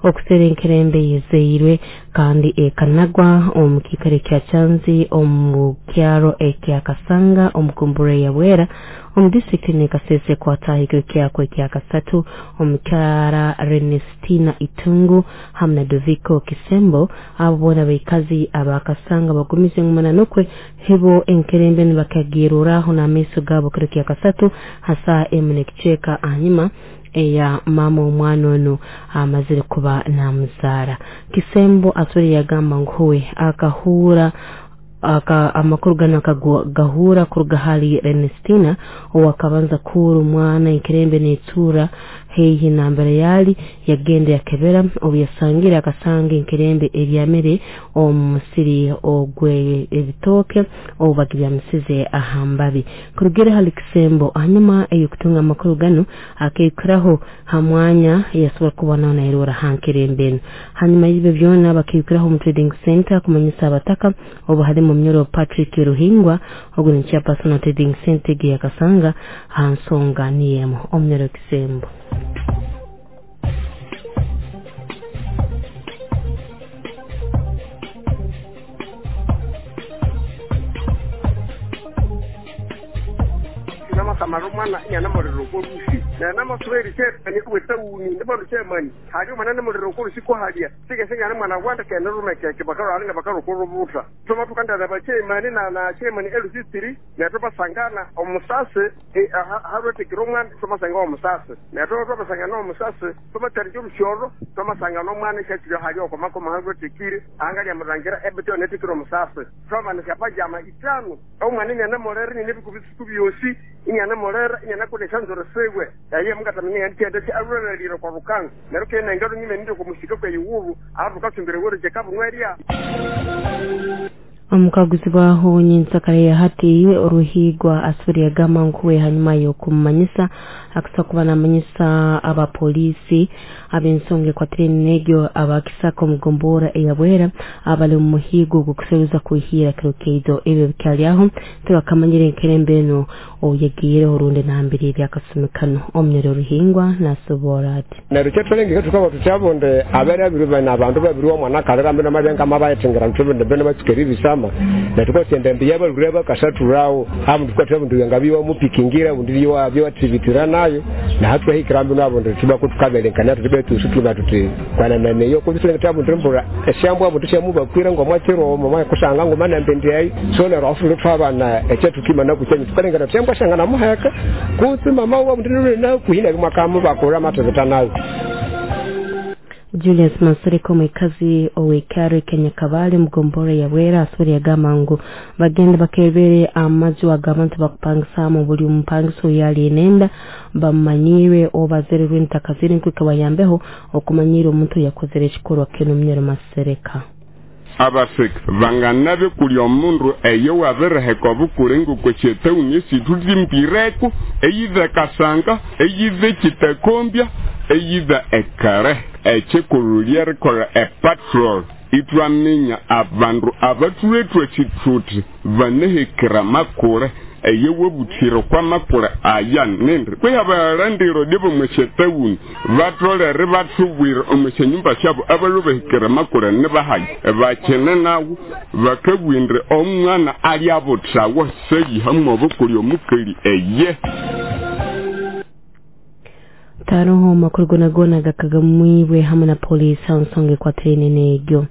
Okusera enkerembe yezeirwe kandi ekanagwa omu kiikaro ekya Kyanzi omu kyaro ekya Kasanga omu kumbura ya Bwera omu disitulikiti n'e Kasese kwataha ekiro kyakwo ekya kasatu. Omukyara Renestina Itungu hamu na Doviko Kisembo, abo boona baikazi abakasanga, bagumize ngu mananukwe hibo enkerembe nibakagiruraho n'amaiso gaabo kiro kya kasatu ha 1 n'ekicweka ahanyuma eya mama omwana onu amazire kuba namuzaara. Kisembo asore yagamba ngu huwe akahura aka amakuru gano akagahura kuruga hali Renestina owakabanza kuura omwana enkerembe netura haihi nambere yali, yagenda yakebera, obu yasangire akasanga enkerembe ebyamire omu musiri ogwe ebitooke obu bagibyamisize aha mbabi. Kurugire hali Kisembo, hanyuma ey'okutunga amakuru gano akaikuraho ha mwanya yasobora kuba nawe nairora ha nkerembe enu. Hanyuma y'ebyo byona bakaikuraho omu trading center kumanyisa abataka, obu halimu Munyoro Patrick Ruhingwa, ogu ni chairperson wa trading center egi ya Kasanga, ha nsonga niyo emu. Omunyoro Kisembo. Namasama omwana inyana muliro kolusi nanamasuberi chairman kuwetauni ndibano chairman hali omwana namuliro kolusi ko halya sigesengana mwana wanda kenerumekeke bakarwalinga bakarukurubuta tuma tukandana ba chairman na chairman LC3 netubasangana omusase harwetekera omwana tumasanga omusase neto tubasangana omusase tumatarije omusyoro tumasangana omwana ekyakiri hali okomakoma harwetekire angalya murangira ebityo netekera omusase twamanisya pajama 5 omwana inyana mulere nyine ebikubisiku byosi inyana mulere inyana kodesha nzoro sewe yaye mukatamenya yandikyenda ki arurererire kwa rukanga neryo kenengero nyine ndiko kumushika kwe yuwuru arukacumbire wereje kabunwerya. Omukaguzi bwaho nyinsakara ya hati Ruhigwa asubira yagamba nkuwe hanyuma y'okumumanyisa akusa kuba namanyisa abapolisi ab'ensonga ekwatire n'egyo abakisaka omugombora eyabwera abali omu muhigo gw'okuseruza kwihira kiro keido. Ebyo bikyali tibakamanyire enkerembe eno oyegiireho rundi nambiri ebyakasumi kano. Omunyoro Ruhingwa nasobora ati neryo kyetulengeke tukaba tutyabonde abere abiri bana abantu babiri omwana kalera mbino mabenga mabayetengera ntubinde bene batsikeri bisama netukotyende mbiya balure bakasaturawo hamu tukwatya bundu ngabiwa mupikingira bundi byo byo nayo na hatwahikira mbino abo tuba kutukabelenkana tutibe tusutuma tuti kwana naneyo kubisule tabu ndembura eshambwa bundu syamubakwira ngo mwakiro mama kusanga ngo mana mbendi ayi so nero afulu twabana ekyetukima nakuchenyi tukalengana tusyambwa shanga namuheka kutsi mama wa bundu na kuhina bimwakamu bakura matebeta nayo. Julius Masereko mwikazi owekare Kenya Kabale mugombora ya Bwera asubira yagamba ngu bagenda bakebere amaju agabantu bakupangisamu buli mupangiso yali enenda bamanyire obazererwe entakazire nkwika bayambeho okumanyira omuntu yakozere ekikorwa kino. Munyoro Masereka. Abaseka banganabe kuli omundu eyo wabereheka obukurengo kwechetawuni esithulimbireko eyitha Kasanga eyitha Kitakombya eyitha ekare ekikulhu lyerikolha epatrol itwaminya abandu abathuletwa ekithuthi banehekera makule eye webuthire kwa makule aya nindi kwihabalandiro dibo mwechetawuni batolere bathubwire omwesyanyumba syabo abalubahikira makule nibahayi bakene nawo bakabwindire omwana alyabuthawo seyihamu obukuli omukali eye. Taroho amakuru gona gona gakagamwibwe hamwe na polisi nsonga ekwatiraine n'egyo.